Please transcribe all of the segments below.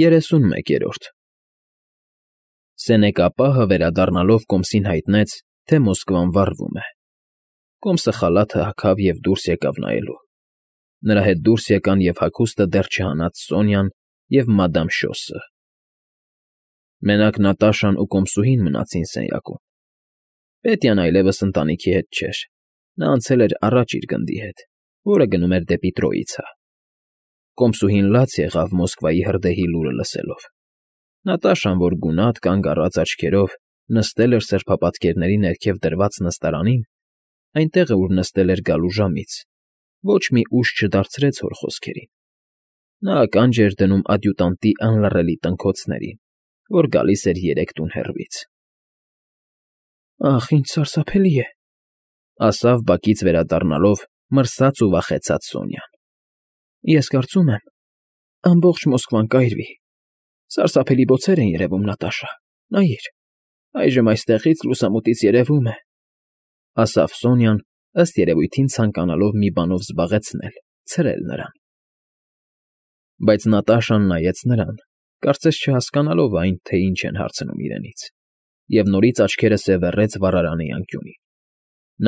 31-րդ Սենեկապահը վերադառնալով կոմսին հայտնեց, թե Մոսկվան վառվում է։ Կոմսը խալաթը հագավ և դուրս եկավ նայելու։ Նրա հետ դուրս եկան և հագուստը դեռ չհանած Սոնյան և մադամ Շոսը։ Մենակ Նատաշան ու կոմսուհին մնացին սենյակում։ Պետյան այլևս ընտանիքի հետ չէր, նա անցել էր առաջ իր գնդի հետ, որը գնում էր դեպի Տրոյիցա։ Կոմսուհին լաց եղավ Մոսկվայի հրդեհի լուրը լսելով։ Նատաշան, որ գունատ կանգ առած աչքերով նստել էր սրբապատկերների ներքև դրված նստարանին, այնտեղը, ուր նստել էր գալու ժամից, ոչ մի ուժ չդարձրեց հոր խոսքերին։ Նա ականջ էր դնում ադյուտանտի անլռելի տնքոցներին, որ գալիս էր երեք տուն հեռվից։ «Ախ, ինչ սարսափելի է,֊ ասավ բակից վերադառնալով մրսած ու վախեցած Սոնյան։ Ես կարծում եմ, ամբողջ Մոսկվան կայրվի։ Սարսափելի բոցեր են երևում, Նատաշա, նայիր, այժմ այստեղից լուսամուտից երևում է,֊ ասավ Սոնյան, ըստ երևույթին ցանկանալով մի բանով զբաղեցնել, ցրել նրան։ Բայց Նատաշան նայեց նրան, կարծես չհասկանալով այն, թե ինչ են հարցնում իրենից, և նորից աչքերը սևեռեց վառարանի անկյունին։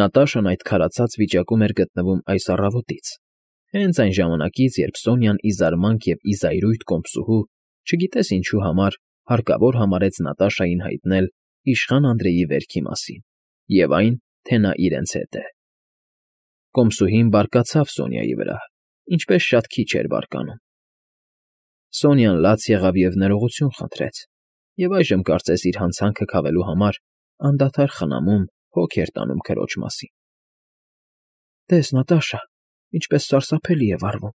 Նատաշան այդ քարացած վիճակում էր գտնվում այս առավոտից, հենց այն ժամանակից, երբ Սոնյան ի զարմանք և ի զայրույթ կոմսուհու, չգիտես ինչու համար, հարկավոր համարեց Նատաշային հայտնել իշխան Անդրեի վերքի մասին և այն, թե նա իրենց հետ է։ Կոմսուհին բարկացավ Սոնյայի վրա, ինչպես շատ քիչ էր բարկանում։ Սոնյան լաց եղավ և ներողություն խնդրեց, և այժմ կարծես իր հանցանքը քավելու համար անդադար խնամում, հոգ էր տանում քրոջ մասին։ «Տես, Նատաշա, ինչպես սարսափելի է վառվում,֊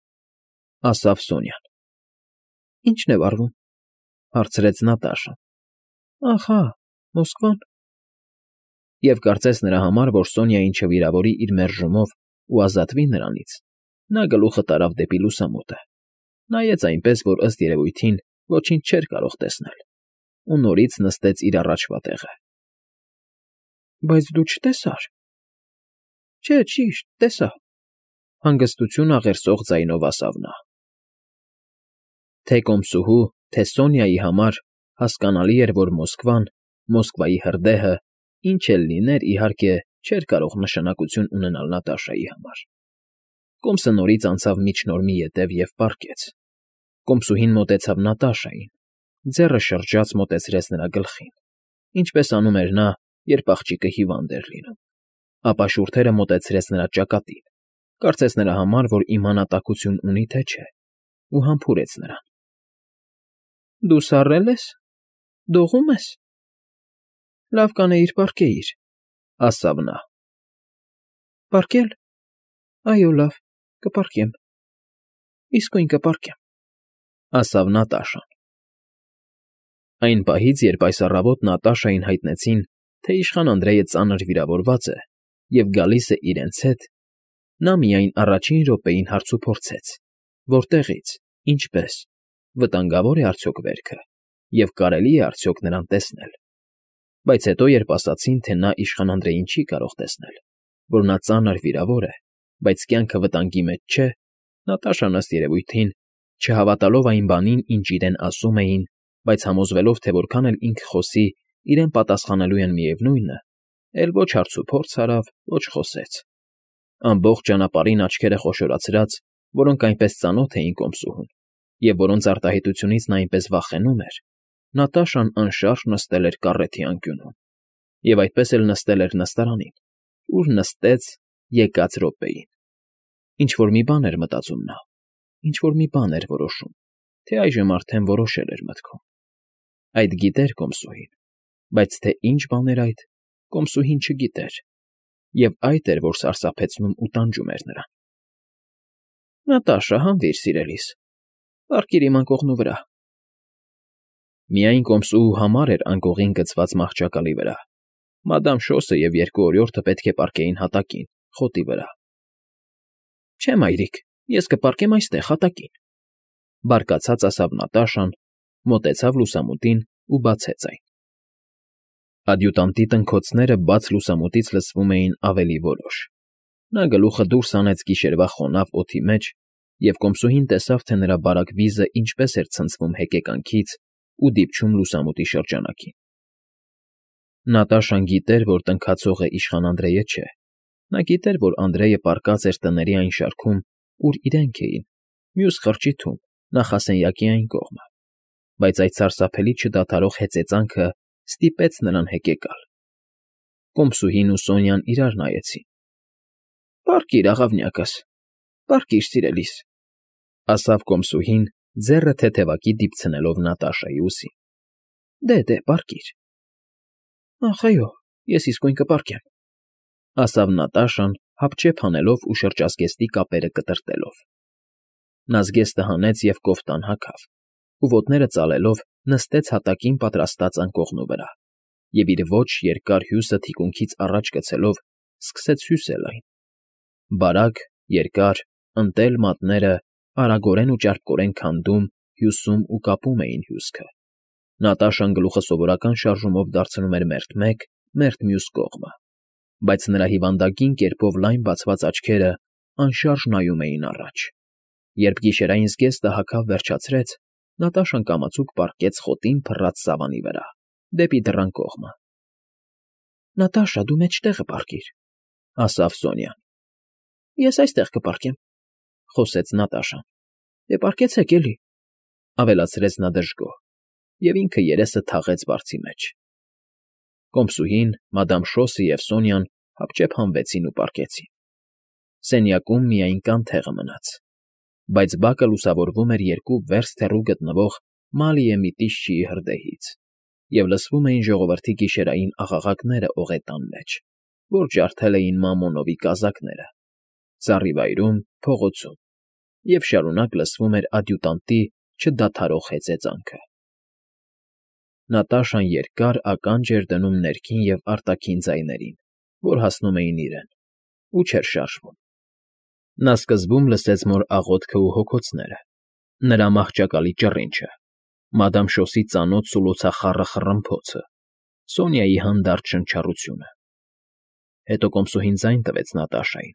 ասավ Սոնյան։ Ի՞նչն է վառվում,֊ հարցրեց Նատաշան։ Ահա, Մոսկվան։ Եվ կարծես նրա համար, որ Սոնյային չվիրավորի իր մերժումով ու ազատվի նրանից, նա գլուխը տարավ դեպի լուսամուտը, նայեց այնպես, որ ըստ երևույթին ոչինչ չէր կարող տեսնել, ու նորից նստեց իր առաջվա տեղը։ Բայց դու չտեսա՞ր։ Չէ, ճիշտ, տեսա,֊ հանգստություն աղերսող ձայնով ասավ նա։ Թե կոմսուհու, թե Սոնյայի համար հասկանալի էր, որ Մոսկվան, Մոսկվայի հրդեհը, ինչ էլ լիներ, իհարկե, չէր կարող նշանակություն ունենալ Նատաշայի համար։ Կոմսը նորից անցավ միջնորմի ետև և պառկեց։ Կոմսուհին մոտեցավ Նատաշային, ձեռը շրջաց մոտեցրեց նրա գլխին, ինչպես անում էր նա, երբ աղջիկը հիվանդ էր լինում, ապա շուրթերը մոտեցրեց նրա ճակատին, կարծես նրա համար, որ իմանա տաքություն ունի, թե չէ, ու համբուրեց նրան։ Դու սառել ես, դողում ես։ Լավ կանեիր պառկեիր,֊ ասավ նա։ Պառկել։ Այո, լավ, կպառկեմ։ Իսկույն կպառկեմ,֊ ասավ Նատաշան։ Այն պահից, երբ այս առավոտ Նատաշային հայտնեցին, թե իշխան Անդրեյը ծանր վիրավորված է և գալիս է իրենց հետ, նա միայն առաջին րոպեին հարցուփորձեց. որտեղից, ինչպես, վտանգավոր է արդյոք վերքը և կարելի է արդյոք նրան տեսնել։ Բայց հետո, երբ ասացին, թե նա իշխան Անդրեյին չի կարող տեսնել, որ նա ծանր վիրավոր է, բայց կյանքը վտանգի մեջ չէ, Նատաշան ըստ երևույթին, չհավատալով այն բանին, ինչ իրեն ասում էին, բայց համոզվելով, թե որքան էլ ինքը խոսի, իրեն պատասխանելու են միևնույնը, էլ ոչ հարցուփորձ արավ, ոչ խոսեց։ Ամբողջ ճանապարհին աչքերը խոշորացրած, որոնք այնպես ծանոթ էին կոմսուհուն, և որոնց արտահայտությունից նա այնպես վախենում էր, Նատաշան անշարժ նստել էր կառեթի անկյունում, և այդպես էլ նստել էր նստարանին, ուր նստեց եկած րոպեին։ Ինչ֊որ մի բան էր մտածում նա, ինչ֊որ մի բան էր որոշում, թե այժմ արդեն որոշել էր մտքում։ Այդ գիտեր կոմսուհին, բայց թե ինչ բան էր այդ, կոմսուհին չգիտեր, և այդ էր, որ սարսափեցնում ու տանջում էր նրան։ Նատաշա, հանվիր, սիրելիս, պառկիր իմ անկողնու վրա։ Միայն կոմսուհու համար էր անկողին գցված մահճակալի վրա, մադամ Շոսը և երկու օրիորդը պետք է պառկեին հատակին, խոտի վրա։ Չէ, մայրիկ, ես կպառկեմ այստեղ, հատակին,֊ բարկացած ասավ Նատաշան, մոտեցավ լուսամուտին ու բացեց այն։ Ադյուտանտի տնքոցները բաց լուսամուտից լսվում էին ավելի որոշ։ Նա գլուխը դուրս հանեց գիշերվա խոնավ օդի մեջ և կոմսուհին տեսավ, թե նրա բարակ վիզը ինչպես էր ցնցվում հեկեկանքից ու դիպչում լուսամուտի շրջանակին։ Նատաշան գիտեր, որ տնքացողը իշխան Անդրեյը չէ։ Նա գիտեր, որ Անդրեյը պառկած էր տների այն շարքում, ուր իրենք էին, մյուս խրճիթում, նախասենյակի այն կողմը, բայց այդ սարսափելի չդադարող հեծեծանքը ստիպեց նրան հեկեկալ։ Կոմսուհին ու Սոնյան իրար նայեցին։ «Պառկիր, աղավնյակս, պառկիր, սիրելիս», ասավ կոմսուհին, ձեռը թեթևակի դիպցնելով Նատաշայի ուսին։ Դե, պառկիր։ Ախ, այո, ես իսկույն կպառկեմ, ասավ Նատաշան, հապճեպ հանելով ու շրջազգեստի կապերը կտրտելով։ Նա զգեստը հանեց և կոֆտան հագավ, ու ոտները ծալելով նստեց հատակին պատրաստած անկողնու վրա, և իր ոչ երկար հյուսը թիկունքից առաջ գցելով սկսեց հյուսել այն։ Բարակ, երկար, ընտել մատները արագորեն ու ճարպկորեն քանդում, հյուսում ու կապում էին հյուսքը։ Նատաշան գլուխը սովորական շարժումով դարձնում էր մերթ մեկ, մերթ մյուս կողմը, բայց նրա հիվանդագին կերպով լայն բացված աչքերը անշարժ նայում էին առաջ։ Երբ գիշերային զգեստը հագավ վերջացրեց, Նատաշան կամացուկ պառկեց խոտին փռած սավանի վրա, դեպի դռան կողմը։ Նատաշա, դու մեջտեղը պառկիր, ասավ Սոնյան։ Ես այստեղ կպառկեմ, խոսեց Նատաշան։ Դե պառկեցեք էլի, ավելացրեց նա դժգոհ, և ինքը երեսը թաղեց բարձի մեջ։ Կոմսուհին, մադամ Շոսը և Սոնյան հապճեպ հանվեցին ու պառկեցին։ Սենյակում միայն կանթեղը մնաց, բայց բակը լուսավորվում էր երկու վերստ հեռու գտնվող Մալիե Միտիշչիի հրդեհից, և լսվում էին ժողովրդի գիշերային աղաղակները օղետան մեջ, որ ջարդել էին Մամոնովի կազակները, ծառիվայրում, փողոցում, և շարունակ լսվում էր ադյուտանտի չդադարող հեծեծանքը։ Նատաշան երկար ականջ էր դնում ներքին և արտաքին ձայներին, որ հասնում էին իրեն, ու չէր շարժվում։ Նա սկզբում լսեց մոր աղոթքն ու հոգոցները, նրա մահճակալի ճռինչը, մադամ Շոսի ծանոթ սուլոցախառը խռմփոցը, Սոնյայի հանդարտ շնչառությունը։ Հետո կոմսուհին ձայն տվեց Նատաշային։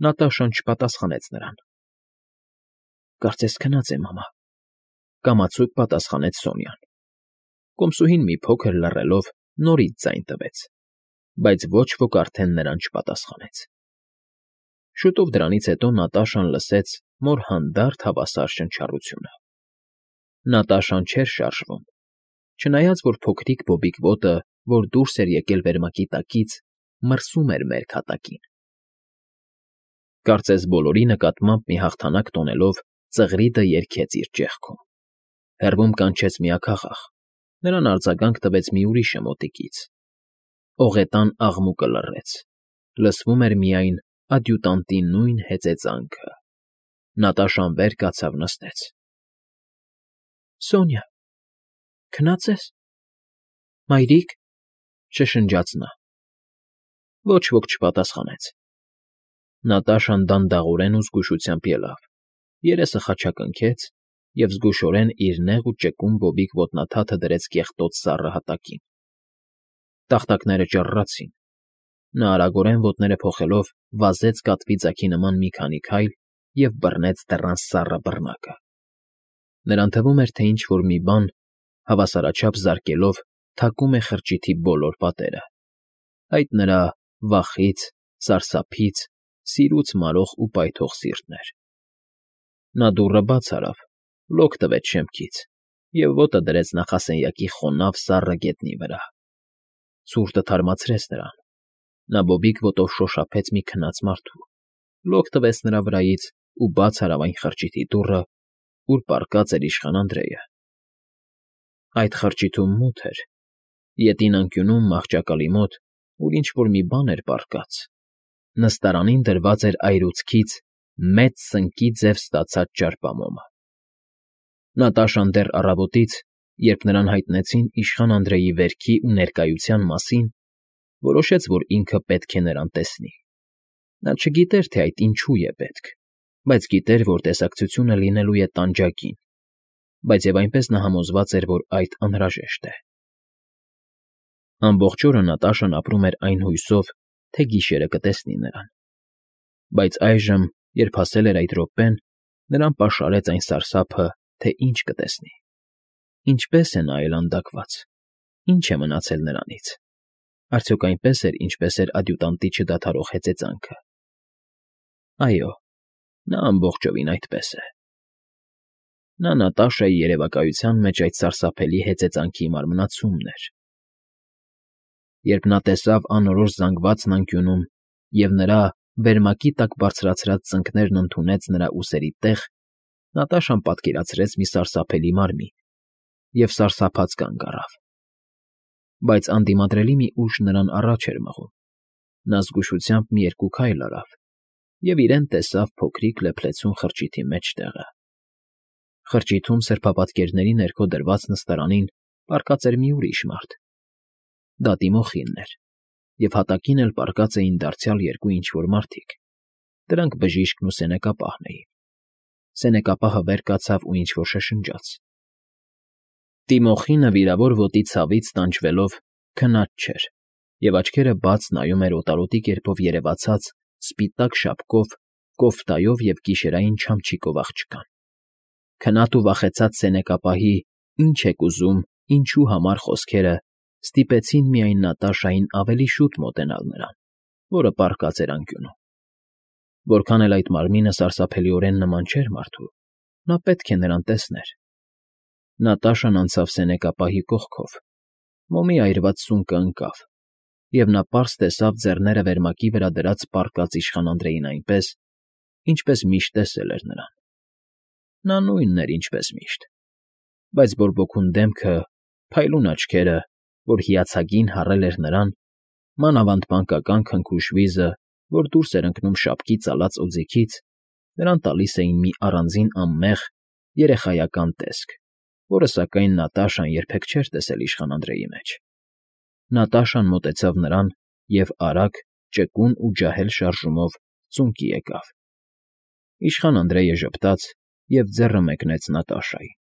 Նատաշան չպատասխանեց նրան։ Կարծես քնած է, մամա, կամացուկ պատասխանեց Սոնյան։ Կոմսուհին մի փոքր լռելով նորից ձայն տվեց, բայց ոչ ոք արդեն նրան չպատասխանեց։ Շուտով դրանից հետո Նատաշան լսեց մոր հանդարտ հավասար շնչառությունը։ Նատաշան չէր շարժվում, չնայած որ փոքրիկ բոբիկ ոտը, որ դուրս էր եկել վերմակի տակից, մրսում էր մերկ հատակին։ Կարծես բոլորի նկատմամբ մի հաղթանակ տոնելով ծղրիդը երգեց իր ճեղքում։ Հեռվում կանչեց մի աքաղաղ, նրան արձագանք տվեց մի ուրիշը մոտիկից։ Օղետան աղմուկը լռեց, լսվում էր միայն ադյուտանտի նույն հեծեծանքը։ Նատաշան վեր կացավ նստեց։ Սոնյա, քնած ես։ Մայրիկ, շշնջաց նա։ Ոչ ոք չպատասխանեց։ Նատաշան դանդաղորեն ու զգուշությամբ ելավ, երեսը խաչակնքեց և զգուշորեն իր նեղ ու ճկուն բոբիկ ոտնաթաթը դրեց կեղտոտ սառը հատակին։ Տախտակները ճռռացին։ Նա արագորեն ոտները փոխելով վազեց կատվի ձագի նման մի քանի քայլ և բռնեց դռան սառը բռնակը։ Նրան թվում էր, թե ինչ֊որ մի բան, հավասարաչափ զարկելով, թակում է խրճիթի բոլոր պատերը։ Այդ նրա վախից, սարսափից, սիրուց մարող ու պայթող սիրտն էր։ Նա դուռը բաց արավ, լոկ տվեց շեմքից և ոտը դրեց նախասենյակի խոնավ սառը գետնի վրա։ Ցուրտը թարմացրեց նրան։ Նա բոբիկ ոտով շոշափեց մի քնած մարդու, լոկ տվեց նրա վրայից ու բաց արավ այն խրճիթի դուռը, ուր պառկած էր իշխան Անդրեյը։ Այդ խրճիթում մութ էր, ետին անկյունում մահճակալի մոտ, ուր ինչ֊որ մի բան էր պառկած, նստարանին դրված էր այրուցքից մեծ սնկի ձև ստացած ճարպամոմը։ Նատաշան դեռ առավոտից, երբ նրան հայտնեցին իշխան Անդրեյի վերքի ու ներկայության մասին, որոշեց, որ ինքը պետք է նրան տեսնի։ Նա չգիտեր, թե այդ ինչու է պետք, բայց գիտեր, որ տեսակցությունը լինելու է տանջանքին, բայց և այնպես նա համոզված էր, որ այդ անհրաժեշտ է։ Ամբողջ օրը Նատաշան ապրում էր այն հույսով, թե գիշերը կտեսնի նրան։ Բայց այժմ, երբ հասել էր այդ րոպեն, Նրան պաշարեց այն սարսափը, թե ինչ կտեսնի։ Ինչպե՞ս է նա այլանդակված, ինչ է մնացել նրանից։ Արդյոք այնպես էր, ինչպես էր ադյուտանտի չդադարող հեծեծանքը։ Այո, նա ամբողջովին այդպես է։ Նա Նատաշայի երևակայության մեջ այդ սարսափելի հեծեծանքի մարմնացումն էր։ Երբ նա տեսավ անորոշ զանգվածն անկյունում և նրա վերմակի տակ բարձրացրած ծնկներն ընդունեց նրա ուսերի տեղ, Նատաշան պատկերացրեց մի սարսափելի մարմին և սարսափած կանգ առավ։ Բայց անդիմադրելի մի ուժ նրան առաջ էր մղում։ Նա զգուշությամբ մի երկու քայլ արավ և իրեն տեսավ փոքրիկ լեփլեցուն խրճիթի մեջտեղը։ Խրճիթում սրբապատկերների ներքո դրված նստարանին պառկած էր մի ուրիշ մարդ։ Դա Տիմոխինն էր, և հատակին էլ պառկած էին դարձյալ երկու ինչ֊որ մարդիկ։ Դրանք բժիշկն ու սենեկապահն էին։ Սենեկապահը վեր կացավ ու ինչ֊որ շշնջաց։ Տիմոխինը վիրավոր ոտի ցավից տանջվելով քնած չէր և աչքերը բաց նայում էր օտարոտի կերպով երևացած սպիտակ շապկով, կոֆտայով և գիշերային չամչիկով աղջկան։ Քնած ու վախեցած սենեկապահի «Ինչ եք ուզում, ինչու համար» խոսքերը ստիպեցին միայն Նատաշային ավելի շուտ մոտենալ նրան, որը պառկած էր անկյունում։ Որքան էլ այդ մարմինը սարսափելիորեն նման չէր մարդու, նա պետք է նրան տեսներ։ Նատաշան անցավ սենեկապահի կողքով, մոմի այրված սունկը ընկավ, և նա պարզ տեսավ ձեռները վերմակի վրա դրած պառկած իշխան Անդրեին այնպես, ինչպես միշտ տեսել էր նրան։ Նա նույնն էր, ինչպես միշտ, բայց բորբոքուն դեմքը, փայլուն աչքերը, որ հիացագին հառել էր նրան, մանավանդ մանկական քնքուշ վիզը, որ դուրս էր ընկնում շապկի ծալած օձիքից, նրան տալիս էին մի առանձին անմեղ, երեխայական տեսք, որը, սակայն, Նատաշան երբեք չէր տեսել իշխան Անդրեի մեջ։ Նատաշան մոտեցավ նրան և արագ, ճկուն ու ջահել շարժումով ծունկի եկավ։ Իշխան Անդրեյը ժպտաց և ձեռը մեկնեց Նատաշային։